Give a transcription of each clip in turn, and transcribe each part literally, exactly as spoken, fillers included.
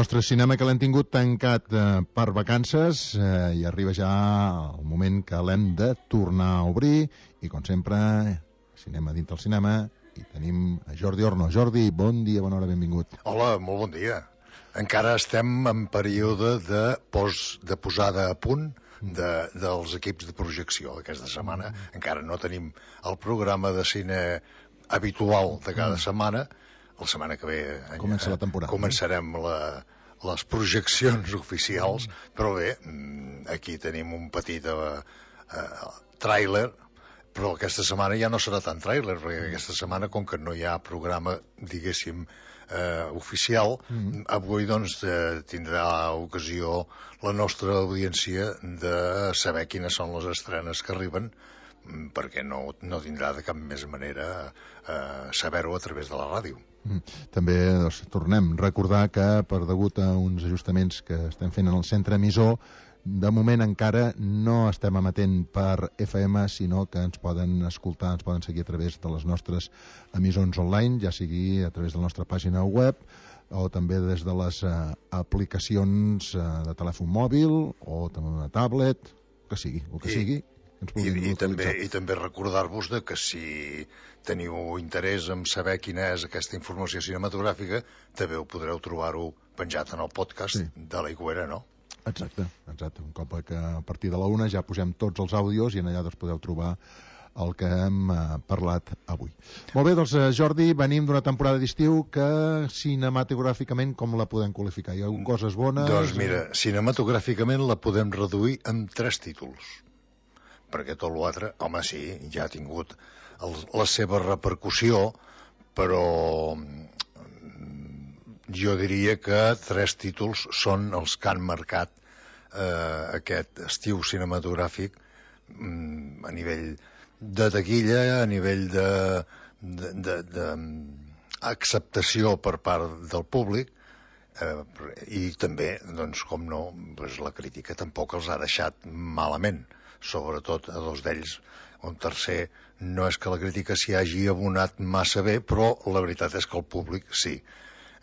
nostre cinema que l'hem tingut tancat eh, per vacances eh, i arriba ja el moment que l'hem de tornar a obrir i com sempre, cinema dintre el cinema i tenim a Jordi Orno. Jordi, bon dia, bona hora, benvingut. Hola, molt bon dia. Encara estem en període de, pos, de posada a punt de, dels equips de projecció aquesta setmana. Encara no tenim el programa de cine habitual de cada setmana. La setmana que ve comença la temporada. Començarem la, les projeccions oficials, però bé, aquí tenim un petit uh, uh, tràiler, però aquesta setmana ja no serà tan tràiler, perquè aquesta setmana, com que no hi ha programa, diguéssim, eh, oficial, mm. avui doncs eh, tindrà ocasió la nostra audiència de saber quines són les estrenes que arriben, perquè no, no tindrà de cap més manera eh, saber-ho a través de la ràdio. Mm. També doncs, tornem a recordar que per degut a uns ajustaments que estem fent en el centre emissor, de moment encara no estem emetent per F M, sinó que ens poden escoltar, ens poden seguir a través de les nostres emissons online, ja sigui a través de la nostra pàgina web o també des de les uh, aplicacions uh, de telèfon mòbil o també una tablet, que sigui, el que I, sigui. I, i, també, I també recordar-vos de que si teniu interès en saber quina és aquesta informació cinematogràfica, també ho podreu trobar-ho penjat en el podcast sí. de la Higuera, no? Exacte, exacte. Un cop que a partir de la una ja posem tots els àudios i en allà doncs podeu trobar el que hem eh, parlat avui. Molt bé, doncs Jordi, venim d'una temporada d'estiu que cinematogràficament com la podem qualificar? Hi ha coses bones? Doncs mira, cinematogràficament la podem reduir en tres títols, perquè tot l'altre, home sí, ja ha tingut el, la seva repercussió, però jo diria que tres títols són els que han marcat eh, aquest estiu cinematogràfic mm, a nivell de taquilla, a nivell de, de, de, de acceptació per part del públic eh, i també, doncs, com no, doncs la crítica tampoc els ha deixat malament, sobretot a dos d'ells. Un tercer, no és que la crítica s'hi hagi abonat massa bé, però la veritat és que el públic sí.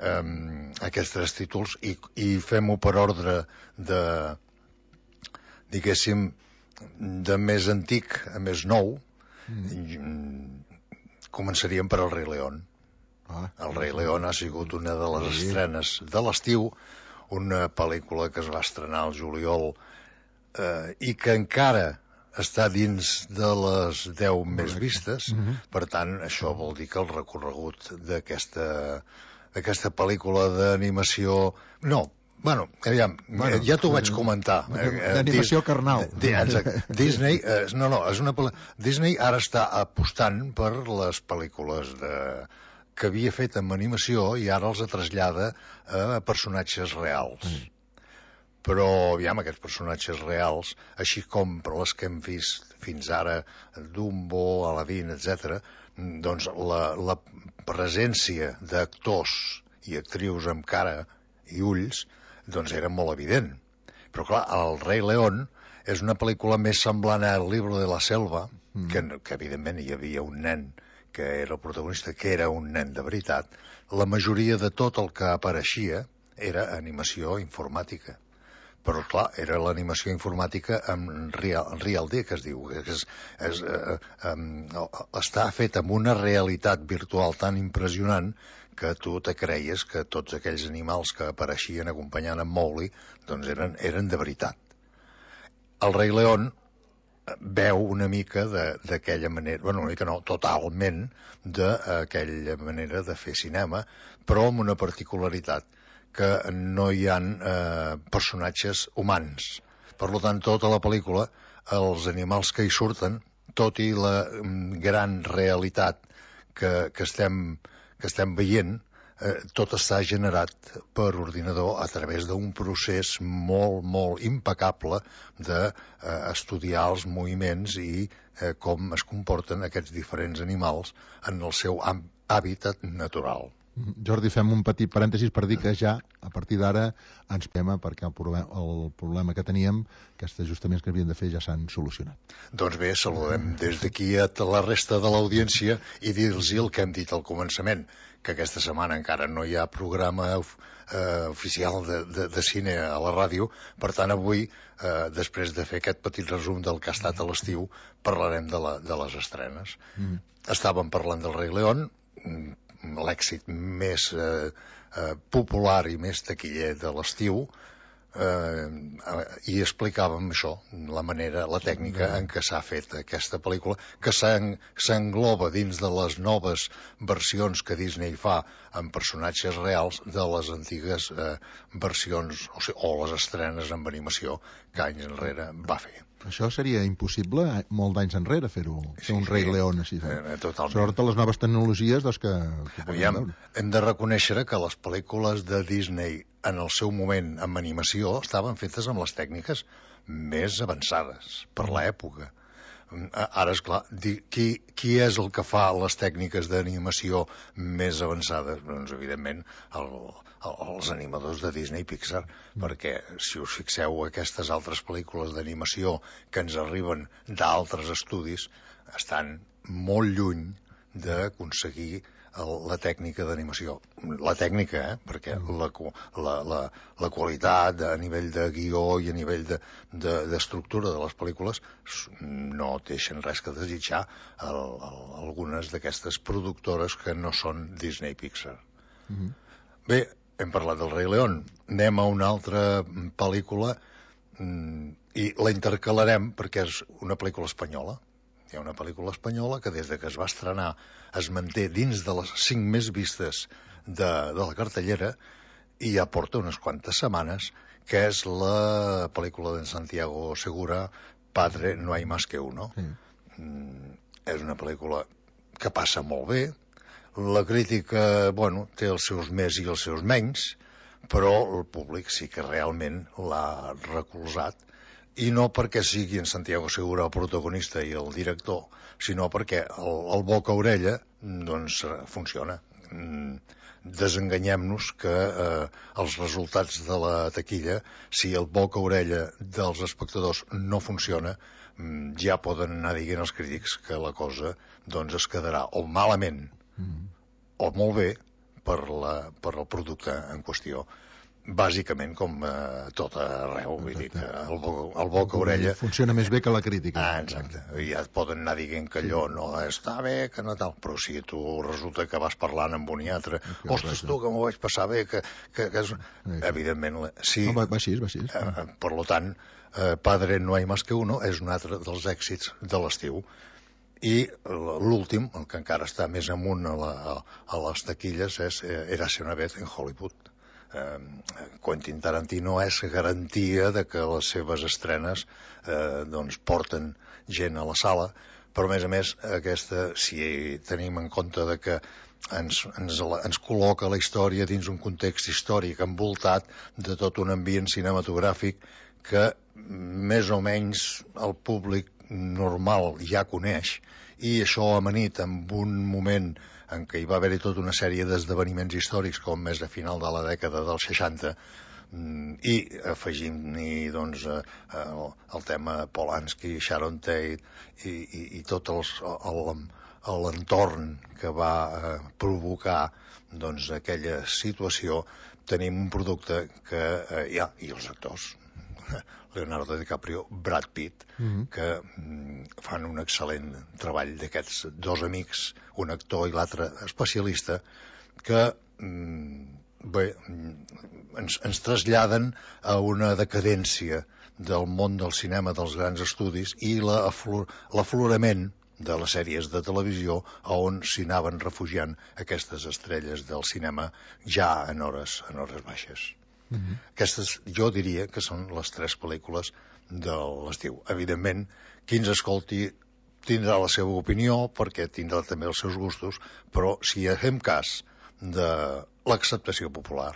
Um, aquests tres títols i, i fem-ho per ordre de, diguéssim, de més antic a més nou. mm. Començaríem per El Rei León. ah, El Rei León ha sigut una de les sí. estrenes de l'estiu, una pel·lícula que es va estrenar al juliol eh, i que encara està dins de les deu més vistes. mm-hmm. Per tant, això vol dir que el recorregut d'aquesta aquesta pel·lícula d'animació... No, bueno, aviam, bueno, ja t'ho vaig comentar. D'animació eh, carnal. Di, exacte. Disney, eh, no, no, és una Disney ara està apostant per les pel·lícules de, que havia fet amb animació i ara els trasllada a personatges reals. Mm. Però, aviam, aquests personatges reals, així com per les que hem vist fins ara, Dumbo, Aladdin, etcètera, doncs la, la presència d'actors i actrius amb cara i ulls doncs era molt evident. Però clar, El Rei León és una pel·lícula més semblant a El Libro de la Selva, mm. que, que evidentment hi havia un nen que era el protagonista, que era un nen de veritat. La majoria de tot el que apareixia era animació informàtica. Però, clar, era l'animació informàtica en real, real D, que es diu. Que és, és, eh, eh, està fet amb una realitat virtual tan impressionant que tu te creies que tots aquells animals que apareixien acompanyant en Mowgli doncs eren, eren de veritat. El Rei León veu una mica d'aquella manera, bueno, una mica no, totalment d'aquella manera de fer cinema, però amb una particularitat, que no hi ha eh, personatges humans. Per tant, tota la pel·lícula, els animals que hi surten, tot i la mm, gran realitat que, que, estem, que estem veient, eh, tot està generat per ordinador a través d'un procés molt, molt impecable d'estudiar eh, els moviments i eh, com es comporten aquests diferents animals en el seu hàbitat natural. Jordi, fem un petit parèntesis per dir que ja, a partir d'ara, ens pema perquè el problema, el problema que teníem, aquests ajustaments que havien de fer ja s'han solucionat. Doncs bé, saludem des d'aquí a la resta de l'audiència i dir-los el que hem dit al començament, que aquesta setmana encara no hi ha programa eh, oficial de, de, de cine a la ràdio, per tant avui, eh, després de fer aquest petit resum del que ha estat a l'estiu, parlarem de, la, de les estrenes. Mm. Estàvem parlant del Rei León, l'èxit més eh, eh, popular i més taquiller de l'estiu, eh, i explicàvem això, la manera, la tècnica en què s'ha fet aquesta pel·lícula, que s'engloba dins de les noves versions que Disney fa amb personatges reals de les antigues eh, versions o, sigui, o les estrenes amb animació que anys enrere va fer. Això seria impossible molt d'anys enrere fer-ho, fer sí, un Rei sí, León així. Eh, totalment. Sobretot les noves tecnologies doncs, que, que Aviam, hem de reconèixer que les pel·lícules de Disney en el seu moment amb animació estaven fetes amb les tècniques més avançades per l'època. Ara, esclar, qui, qui és el que fa les tècniques d'animació més avançades? Doncs, evidentment, el, el, els animadors de Disney i Pixar, mm. perquè, si us fixeu, aquestes altres pel·lícules d'animació que ens arriben d'altres estudis estan molt lluny d'aconseguir la tècnica d'animació. La tècnica, eh? Perquè la, la, la, la qualitat a nivell de guió i a nivell d'estructura de, de, de les pel·lícules no deixen res que desitjar a, a, a algunes d'aquestes productores que no són Disney Pixar. Mm-hmm. Bé, hem parlat del Rei León. Anem a una altra pel·lícula i la intercalarem perquè és una pel·lícula espanyola. Hi ha una pel·lícula espanyola que des de que es va estrenar es manté dins de les cinc més vistes de, de la cartellera i ja porta unes quantes setmanes, que és la pel·lícula d'en Santiago Segura, Padre, no hay más que uno. Sí. Mm, és una pel·lícula que passa molt bé, la crítica, bueno, té els seus més i els seus menys, però el públic sí que realment l'ha recolzat, i no perquè sigui en Santiago Segura el protagonista i el director, sinó perquè el, el boca-orella doncs funciona. Desenganyem-nos que eh, els resultats de la taquilla, si el boca-orella dels espectadors no funciona, ja poden anar dient els crítics que la cosa doncs es quedarà o malament mm. o molt bé per, la, per el producte en qüestió. Bàsicament com eh, tot arreu, vull dir que el, bo, el boca-orella... Funciona més bé que la crítica. Ah, exacte. Ja et poden anar dient que allò no està bé, que no tal, però si tu resulta que vas parlant amb un i altre, ostres, tu, que m'ho vaig passar bé, que... que, que és... Evidentment, sí. No, va, va així, va així. Eh, per tant, eh, Padre no hay más que uno és un altre dels èxits de l'estiu. I l'últim, el que encara està més amunt a, la, a les taquilles, és Érase una vez en Hollywood. Eh, Quentin Tarantino és garantia de que les seves estrenes eh, doncs porten gent a la sala, però a més a més aquesta, si tenim en compte de que ens, ens, ens col·loca la història dins un context històric envoltat de tot un ambient cinematogràfic que més o menys el públic normal ja coneix, i això amanit amb un moment en què hi va haver-hi tota una sèrie d'esdeveniments històrics com és a final de la dècada dels seixanta, i afegim-hi doncs, el, el tema Polanski, Sharon Tate i, i, i tot els, el, l'entorn que va eh, provocar doncs, aquella situació, tenim un producte que eh, hi ha, i els actors Leonardo DiCaprio, Brad Pitt, mm-hmm. que mm, fan un excel·lent treball d'aquests dos amics, un actor i l'altre especialista, que mm, bé, ens, ens traslladen a una decadència del món del cinema, dels grans estudis, i l'aflorament de les sèries de televisió on s'hi anaven refugiant aquestes estrelles del cinema ja en hores, en hores baixes. Mm-hmm. Aquestes, jo diria que són les tres pel·lícules de l'estiu. Evidentment, qui ens escolti tindrà la seva opinió, perquè tindrà també els seus gustos, però si fem cas de l'acceptació popular,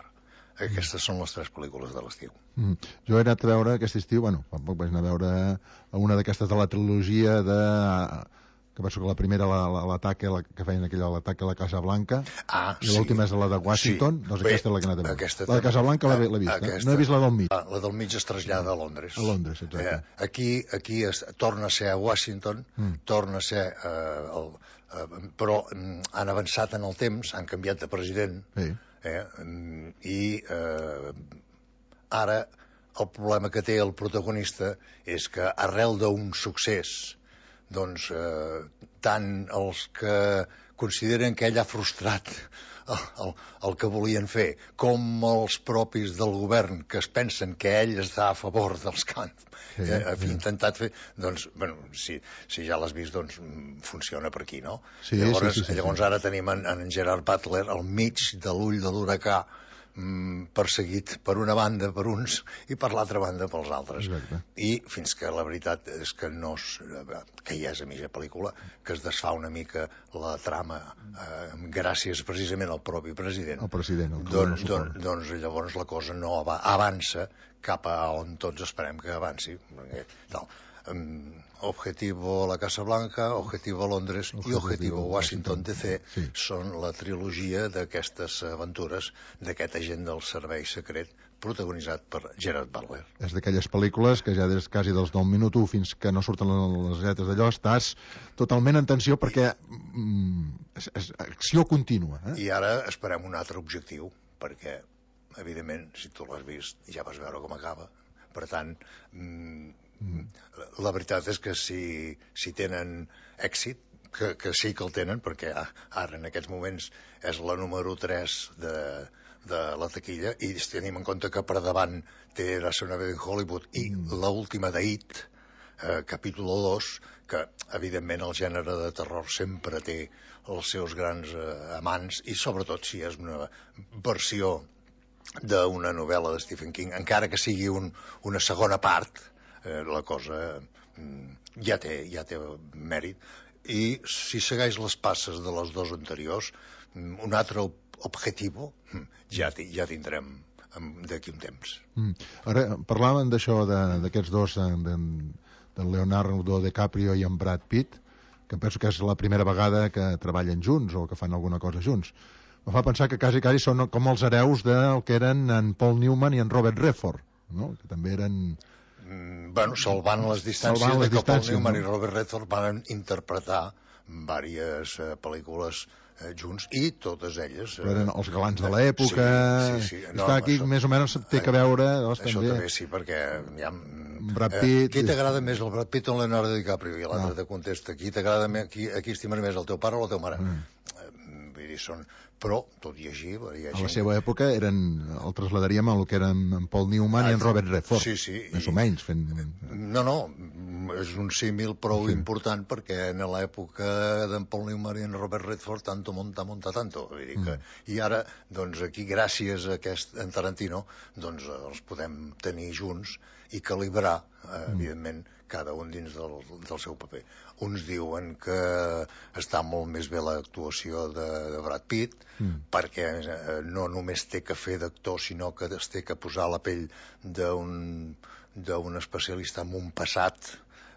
aquestes són les tres pel·lícules de l'estiu. Mm. Jo he anat a veure aquest estiu, bueno, tampoc vaig anar a veure una d'aquestes de la trilogia de que penso que la primera l'ataque, la, que feien aquella l'ataque a la Casa Blanca, ah, i l'última sí. és la de Washington, sí. doncs Bé, aquesta és la que he anat a veure. La de Casa Blanca l'he vist, aquesta, eh? No he vist la del mig. Ah, la del mig es trasllada a Londres. A Londres, exacte. Eh, aquí aquí es, torna a ser a Washington, mm. torna a ser... Eh, el, eh, però mm, han avançat en el temps, han canviat de president, sí. eh, i eh, ara el problema que té el protagonista és que arrel d'un succés, doncs eh, tant els que consideren que ell ha frustrat el, el, el que volien fer, com els propis del govern que es pensen que ell està a favor dels camps, sí, eh, ha sí. intentat fer, doncs, bueno, si, si ja l'has vist, doncs funciona per aquí, no? Sí, llavors, sí, sí, sí, llavors sí. ara tenim en, en Gerard Butler al mig de l'ull de l'huracà, perseguit per una banda per uns i per l'altra banda pels altres. Exacte. I fins que la veritat és que no és, que ja és a mitja pel·lícula, que es desfà una mica la trama eh, gràcies precisament al propi president. El president, el doncs, doncs, doncs llavors la cosa no avança cap a on tots esperem que avanci. Tal. Um, Objetivo la Casa Blanca, Objetivo Londres Objetivo, i Objetivo Washington D C sí. són la trilogia d'aquestes aventures d'aquest agent del servei secret protagonitzat per Gerard Butler. És d'aquelles pel·lícules que ja des quasi dels nou minut u fins que no surten les lletres d'allò estàs totalment en tensió perquè mm, és, és acció contínua. Eh? I ara esperem un altre objectiu, perquè evidentment, si tu l'has vist, ja vas veure com acaba. Per tant, mm, la veritat és que si, si tenen èxit, que, que sí que el tenen, perquè ara en aquests moments és la número tres de, de la taquilla, i tenim en compte que per davant té La Segona vez en Hollywood i mm. l'última d'It, eh, capítol dos, que evidentment el gènere de terror sempre té els seus grans eh, amants, i sobretot si és una versió d'una novel·la de Stephen King, encara que sigui un, una segona part, Eh, la cosa mm, ja té, ja té mèrit, i si segueix les passes de les dos anteriors, mm, un altre objectiu mm, ja, ja tindrem d'aquí un temps. Mm. Ara, parlàvem d'això d'aquests dos, de, de Leonardo DiCaprio i en Brad Pitt, que penso que és la primera vegada que treballen junts o que fan alguna cosa junts. Me fa pensar que quasi, quasi són com els hereus del que eren en Paul Newman i en Robert Redford, no? Que també eren... Mm, bueno, salvant les distàncies salvant les de que Paul Newman no? i Robert Redford van interpretar diverses eh, pel·lícules eh, junts, i totes elles... Eh, eren els galants de l'època... Sí, sí, sí. No, Està aquí, això, més o menys té que veure... Doncs, això també. també sí, perquè... Ja, Brad Pitt... Eh, qui t'agrada més, el Brad Pitt o el Leonardo DiCaprio? I l'altre no. te contesta, qui t'agrada més, qui, a qui estimes més, el teu pare o la teva mare? Mm. Vull dir, són... Però, tot i així... Hi a la seva època eren, el trasladaríem a el que eren en Paul Newman ah, i en Robert Redford. Sí, sí. Més i... o menys. Fent... No, no, és un símil prou sí. important, perquè en l'època d'en Paul Newman i en Robert Redford, tanto monta, monta tanto. Vull dir que... mm. I ara, doncs, aquí, gràcies a aquest, en Tarantino, doncs, els podem tenir junts i calibrar, eh, mm. evidentment, cada un dins del, del seu paper. Uns diuen que està molt més bé l'actuació de, de Brad Pitt, mm. perquè eh, no només té que fer d'actor, sinó que es té que posar a la pell d'un d'un especialista amb un passat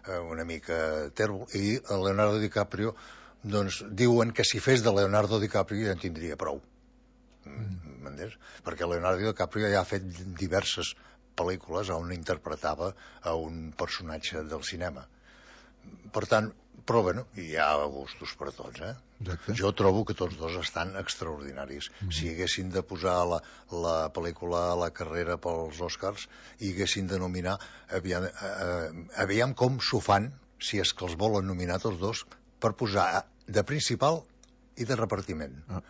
eh, una mica tèrbol, i Leonardo DiCaprio, doncs, diuen que si fes de Leonardo DiCaprio ja en tindria prou. Mm. Perquè Leonardo DiCaprio ja ha fet diverses pel·lícules on interpretava a un personatge del cinema. Per tant, però bueno, hi ha gustos per a tots, eh? Exacte. Jo trobo que tots dos estan extraordinaris. Mm-hmm. Si haguessin de posar la, la pel·lícula a la carrera pels Oscars i haguessin de nominar, aviam, eh, aviam com s'ho fan, si és que els volen nominar tots dos, per posar de principal i de repartiment. Ah.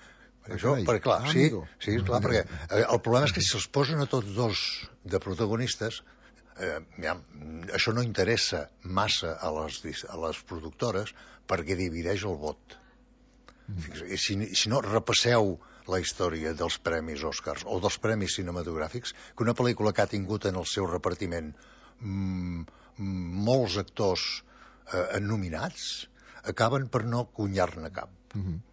Això, perquè clar, ah, sí, sí, clar, perquè eh, el problema és que si els posen a tots dos de protagonistes, eh, ja, això no interessa massa a les, a les productores, perquè divideix el vot. Mm. I si, si no, repasseu la història dels premis Oscars o dels premis cinematogràfics, que una pel·lícula que ha tingut en el seu repartiment mm, molts actors eh, nominats, acaben per no cunyar-ne cap. Mm-hmm.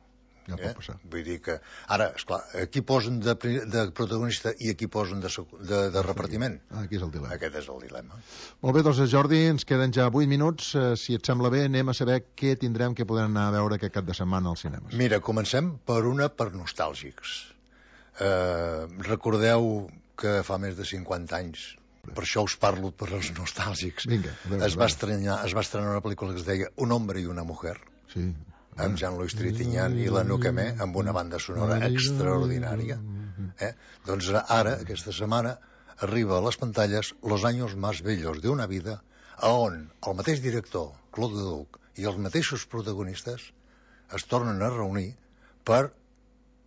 Ja eh? pot passar. Vull dir que, ara, esclar, aquí posen de, de protagonista i aquí posen de, de, de repartiment. Ah, aquí és el dilema. Aquest és el dilema. Molt bé, doncs Jordi, ens queden ja vuit minuts. Eh, si et sembla bé, anem a saber què tindrem, què podrem anar a veure aquest cap de setmana als cinemes. Mira, comencem per una per nostàlgics. Eh, recordeu que fa més de cinquanta anys, per això us parlo per als nostàlgics, Vinga, a veure, es, va estrenar, es va estrenar una pel·lícula que es deia Un hombre i una mujer, sí, amb Jean-Louis Trintignant i la Nuquemé, amb una banda sonora extraordinària. Eh? Doncs ara, aquesta setmana, arriba a les pantalles Los años más bellos de una vida, on el mateix director, Claude Leduc, i els mateixos protagonistes es tornen a reunir per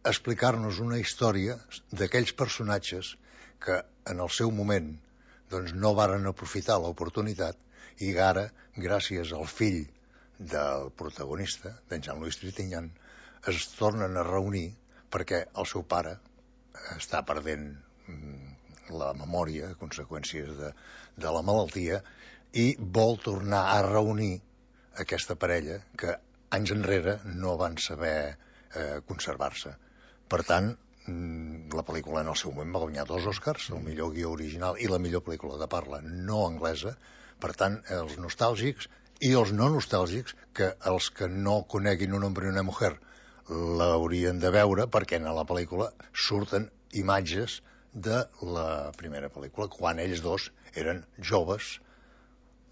explicar-nos una història d'aquells personatges que en el seu moment doncs, no varen aprofitar l'oportunitat i ara, gràcies al fill del protagonista, d'en Jean-Louis Trintignant, es tornen a reunir perquè el seu pare està perdent la memòria, conseqüències de, de la malaltia, i vol tornar a reunir aquesta parella que anys enrere no van saber eh, conservar-se. Per tant, la pel·lícula en el seu moment va guanyar dos Oscars, el millor guió original i la millor pel·lícula de parla no anglesa. Per tant, els nostàlgics i els no nostàlgics, que els que no coneguin Un hombre i una mujer l'haurien de veure, perquè en la pel·lícula surten imatges de la primera pel·lícula, quan ells dos eren joves,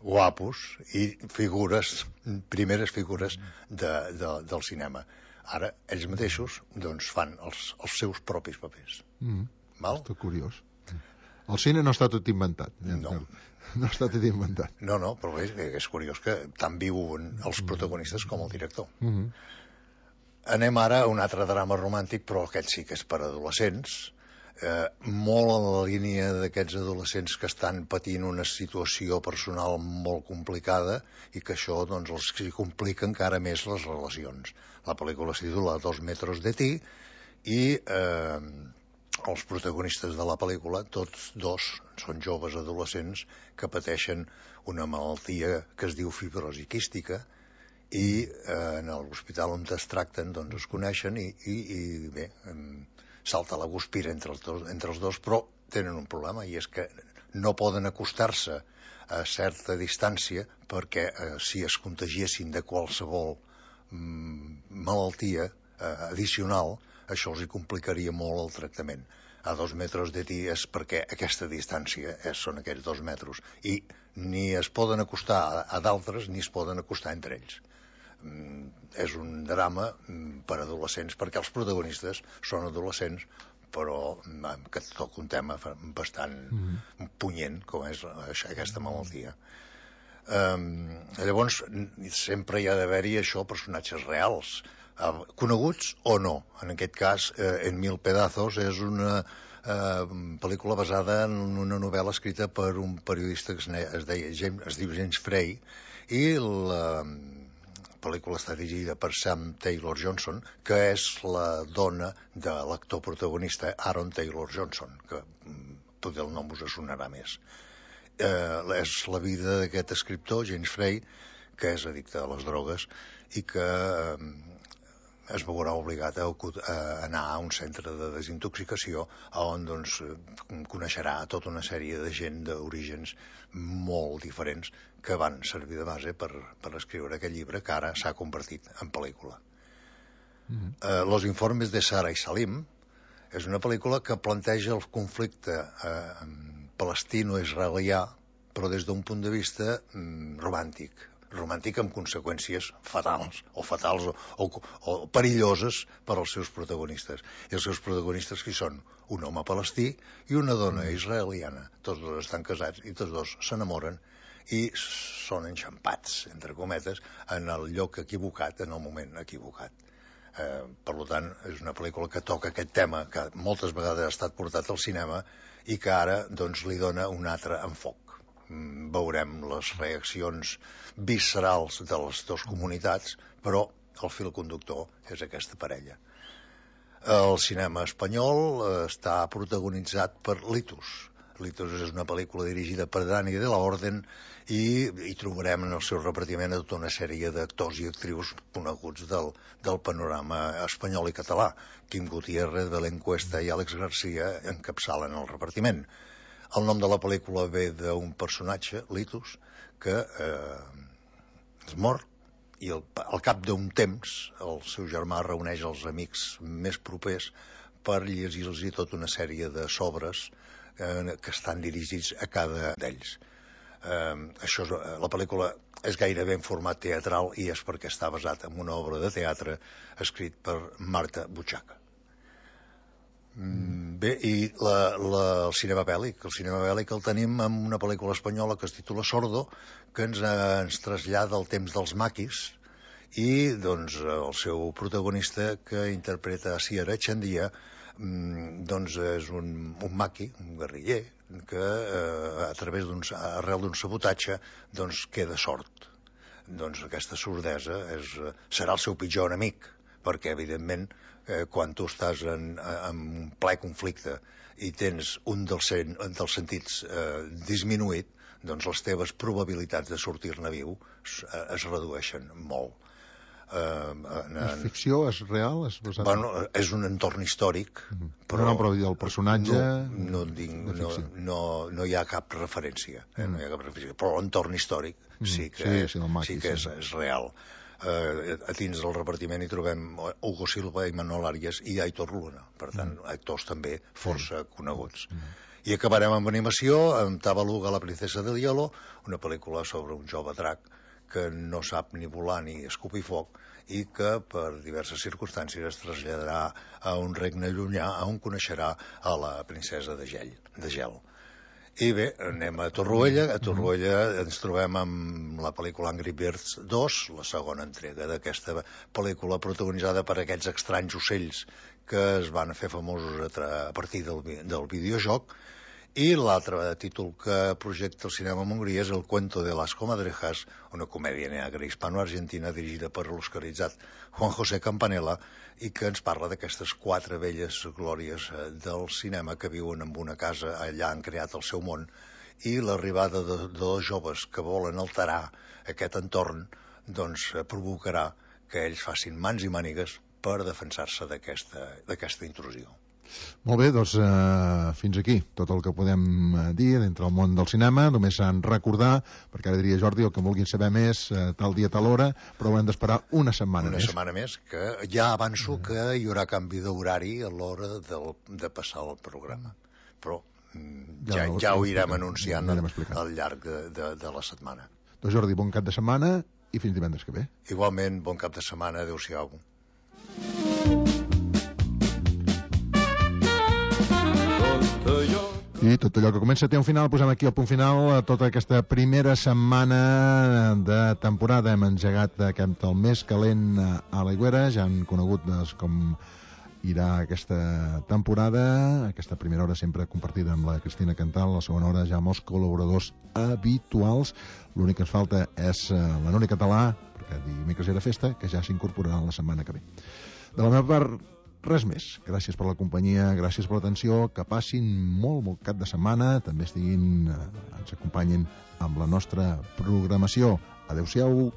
guapos i figures, primeres figures de, de, del cinema. Ara, ells mateixos doncs, fan els, els seus propis papers. Mm. Val? Està curiós. El cine no està tot inventat. No. No està tot inventat. No, no, però és, és curiós que tant viuen els protagonistes com el director. Mm -hmm. Anem ara a un altre drama romàntic, però aquest sí que és per adolescents, eh, molt en la línia d'aquests adolescents que estan patint una situació personal molt complicada i que això doncs, els complica encara més les relacions. La pel·lícula es titula Dos metros de ti i eh, els protagonistes de la pel·lícula, tots dos, són joves adolescents que pateixen una malaltia que es diu fibrosi quística i eh, en l'hospital on es tracten doncs es coneixen i, i, i bé, salta la guspira entre els, dos, entre els dos, però tenen un problema i és que no poden acostar-se a certa distància perquè eh, si es contagiessin de qualsevol mm, malaltia eh, addicional, això els hi complicaria molt el tractament. A dos metres de ti és perquè aquesta distància és, són aquests dos metres i ni es poden acostar a, a d'altres ni es poden acostar entre ells. Mm, és un drama mm, per adolescents perquè els protagonistes són adolescents però mm, que toca un tema bastant mm-hmm. punyent com és aquesta malaltia. Um, llavors sempre hi ha d'haver-hi això, personatges reals, uh, coneguts o no. En aquest cas, uh, En mil pedazos és una uh, pel·lícula basada en una novel·la escrita per un periodista que es, es, deia, James, es diu James Frey, i la pel·lícula està dirigida per Sam Taylor Johnson, que és la dona de l'actor protagonista Aaron Taylor Johnson, que potser el nom us sonarà més. Eh, és la vida d'aquest escriptor, James Frey, que és addicte a les drogues i que eh, es veurà obligat a, a anar a un centre de desintoxicació on doncs, coneixerà tota una sèrie de gent d'orígens molt diferents que van servir de base per, per escriure aquest llibre que ara s'ha convertit en pel·lícula. Mm-hmm. eh, Los informes de Sara i Salim és una pel·lícula que planteja el conflicte eh, palestino-israelià però des d'un punt de vista mm, romàntic romàntic amb conseqüències fatals o fatals o, o, o perilloses per als seus protagonistes. I els seus protagonistes qui són? Un home palestí i una dona israeliana. Tots dos estan casats i tots dos s'enamoren i són enxampats, entre cometes, en el lloc equivocat, en el moment equivocat. Eh, per tant, és una pel·lícula que toca aquest tema que moltes vegades ha estat portat al cinema i que ara doncs, li dona un altre enfoc. Veurem les reaccions viscerals de les dues comunitats, però el fil conductor és aquesta parella. El cinema espanyol està protagonitzat per Litus, Litos és una pel·lícula dirigida per Dani de la Orden i hi trobarem en el seu repartiment a tota una sèrie d'actors i actrius coneguts del, del panorama espanyol i català. Quim Gutiérrez, Belén Cuesta i Àlex Garcia encapçalen el repartiment. El nom de la pel·lícula ve d'un personatge, Litos, que eh, es mor i al, al cap d'un temps el seu germà reuneix els amics més propers per llegir-los tota una sèrie de sobres eh, que estan dirigits a cada d'ells. Eh, això és, la pel·lícula és gairebé en format teatral i és perquè està basat en una obra de teatre escrit per Marta Buchaca. Mm, bé, i la, la, el cinema bèl·lic, el cinema bèl·lic el tenim en una pel·lícula espanyola que es titula Sordo, que ens, eh, ens trasllada al temps dels maquis, i doncs el seu protagonista, que interpreta a Asier Echandía, doncs és un, un maqui, un guerriller, que eh, a través d'un, arrel d'un sabotatge doncs queda sord. Doncs aquesta sordesa és, serà el seu pitjor enemic, perquè evidentment eh, quan tu estàs en, en un ple conflicte i tens un dels, sen, dels sentits eh, disminuït, doncs les teves probabilitats de sortir-ne viu es, es redueixen molt. Uh, en, és ficció? És real? És, basat... bueno, és un entorn històric, mm. però, no, però el personatge no, no, dic, no, no, no hi ha cap referència, eh? mm. no hi ha cap referència, però l'entorn històric mm. sí que, sí, sí, maqui, sí que sí. És, és real. Uh, a dins del repartiment hi trobem Hugo Silva i Manol Arias i Aitor Luna, per tant, mm. actors també força mm. coneguts. Mm. I acabarem amb animació, amb Tabaluga, la princesa del hielo, una pel·lícula sobre un jove drac que no sap ni volar ni escopir foc i que per diverses circumstàncies es traslladarà a un regne llunyà on coneixerà a la princesa de gel. De gel. I bé, anem a Torroella. A Torroella ens trobem amb la pel·lícula Angry Birds dos, la segona entrega d'aquesta pel·lícula protagonitzada per aquests estranys ocells que es van fer famosos a, a partir del, del videojoc. I l'altre títol que projecta el cinema en Hongria és El cuento de las comadrejas, una comèdia negra hispano-argentina dirigida per l'oscaritzat Juan José Campanella i que ens parla d'aquestes quatre velles glòries del cinema que viuen en una casa, allà han creat el seu món, i l'arribada de, de dos joves que volen alterar aquest entorn doncs provocarà que ells facin mans i mànigues per defensar-se d'aquesta intrusió. Molt bé, doncs eh, fins aquí tot el que podem dir dintre del món del cinema. Només en recordar, perquè ara diria Jordi, el que vulguin saber més, eh, tal dia, tal hora, però haurem d'esperar una setmana una més. Una setmana més, que ja avanço mm. que hi haurà canvi d'horari a l'hora del, de passar el programa. Però mm, ja, ja, ja ho irem anunciant ja al llarg de, de, de la setmana. Doncs Jordi, bon cap de setmana i fins divendres que ve. Igualment, bon cap de setmana, adeu-siau. I tot allò que comença té un final. Posem aquí el punt final a tota aquesta primera setmana de temporada. Hem engegat aquest el més calent a l'Aigüera. Ja han conegut doncs, com irà aquesta temporada. Aquesta primera hora sempre compartida amb la Cristina Cantal, la segona hora ja amb els col·laboradors habituals. L'únic que ens falta és la Núria Català, perquè dimecres era festa, que ja s'incorporarà la setmana que ve. De la meva part, res més. Gràcies per la companyia, gràcies per l'atenció, que passin molt, molt cap de setmana, també estiguin, eh, ens acompanyin amb la nostra programació. Adéu-siau.